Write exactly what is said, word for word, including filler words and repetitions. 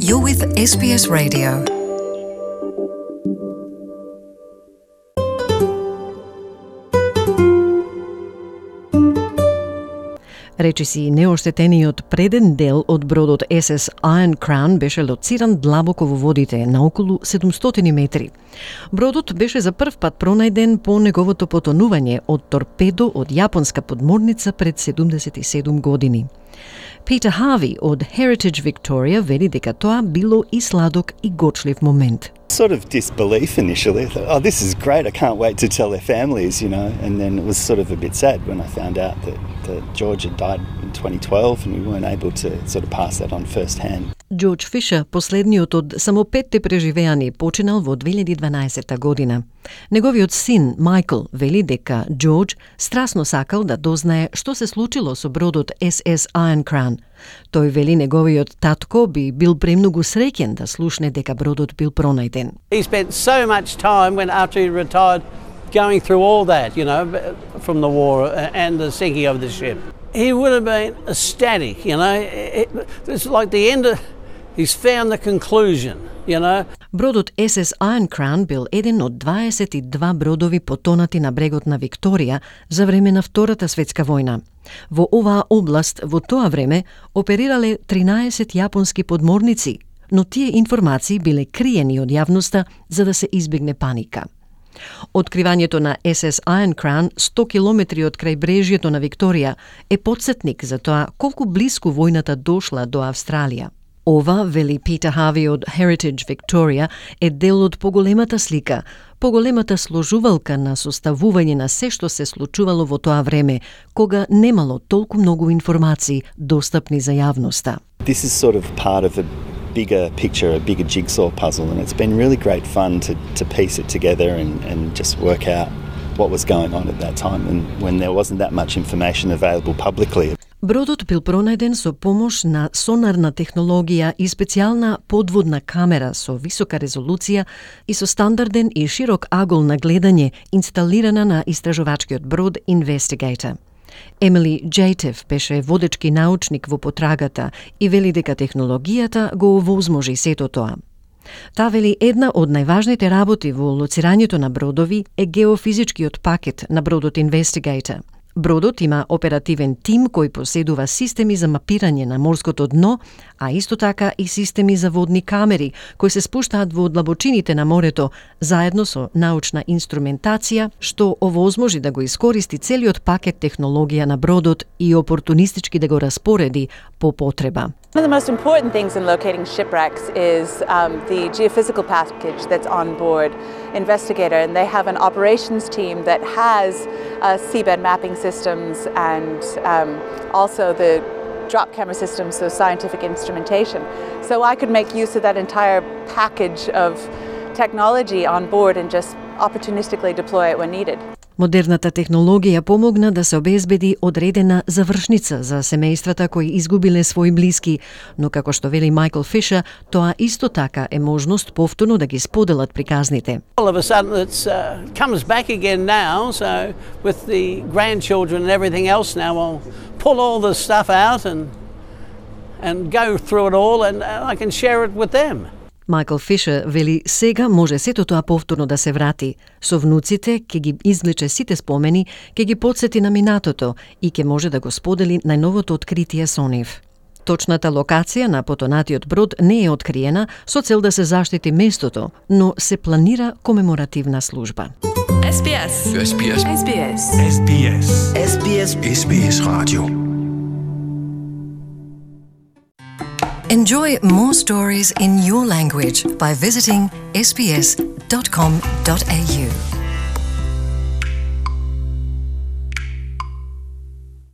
You're with S B S Radio. Речиси неоштетениот преден дел од бродот Ес Ес Iron Crown беше лоциран длабоко во водите на околу седумстотини метри. Бродот беше за прв пат пронајден по неговото потонување од торпедо од јапонска подморница пред седумдесет и седум години. Peter Harvey од Heritage Victoria вели дека тоа било и сладок и гочлив момент. Sort of disbelief initially. I thought, oh, this is great. I can't wait to tell their families, you know. And then it was sort of a bit sad when I found out that, that George had died in twenty twelve and we weren't able to sort of pass that on first hand. Джордж Фишер, последниот од само петте преживеани, починал во две илјади и дванаесетта година. Неговиот син, Майкл, вели дека Джордж страсно сакал да дознае што се случило со бродот Ес Ес Iron Crown. Тој вели неговиот татко би бил премногу среќен да слушне дека бродот бил пронајден. He spent so much time when after he retired going through all that, you know, from the war and the sinking of the ship. He would have been ecstatic, you know. It, it's like the end of, he's found the conclusion, you know. Бродот Ес Ес Iron Crown бил еден од дваесет и два бродови потонати на брегот на Викторија за време на Втората светска војна. Во оваа област во тоа време оперирале тринаесет јапонски подморници, но тие информации биле криени од јавноста за да се избегне паника. Откривањето на Ес Ес Iron Crown сто километри од крајбрежјето на Викторија е потсетник за тоа колку блиску војната дошла до Австралија. Ова, вели Питер Хави од Heritage Victoria, е дел од поголемата слика, поголемата сложувалка на составување на се што се случувало во тоа време, кога немало толку многу информации достапни за јавноста. This is sort of part of a bigger picture, a bigger jigsaw puzzle, and it's been really great fun to, to piece it together and, and just work out what was going on at that time and when there wasn't that much information available publicly. Бродот бил пронајден со помош на сонарна технологија и специјална подводна камера со висока резолуција и со стандарден и широк агол на гледање инсталирана на истражувачкиот брод Investigator. Емили Джейтев беше водечки научник во потрагата и вели дека технологијата го овозможи сето тоа. Та вели една од најважните работи во лоцирањето на бродови е геофизичкиот пакет на бродот Investigator. Бродот има оперативен тим кој поседува системи за мапирање на морското дно, а исто така и системи за водни камери кои се спуштаат во длабочините на морето заедно со научна инструментација што овозможи да го искористи целиот пакет технологија на бродот и опортунистички да го распореди по потреба. One of the most important things in locating shipwrecks is um, the geophysical package that's on board Investigator, and they have an operations team that has uh, seabed mapping systems and um, also the drop camera systems, so scientific instrumentation. So I could make use of that entire package of technology on board and just opportunistically deploy it when needed. Модерната технологија помогна да се обезбеди одредена завршница за семејствата кои изгубиле своји блиски, но како што вели Майкл Фишер, тоа исто така е можност повторно да ги споделат приказните. All of a sudden it uh, comes back again now, so with the grandchildren and everything else now, I'll pull all the stuff out and and go through it all and I can share it with them. Майкл Фишер вели сега може сето тоа повторно да се врати. Со внуците ќе ги извлече сите спомени, ќе ги потсети на минатото и ќе може да го сподели најновото откритие со нив. Точната локација на потонатиот брод не е откриена со цел да се заштити местото, но се планира комеморативна служба. S B S. S B S. S B S. S B S. S B S. S B S Radio. Enjoy more stories in your language by visiting s b s dot com dot a u.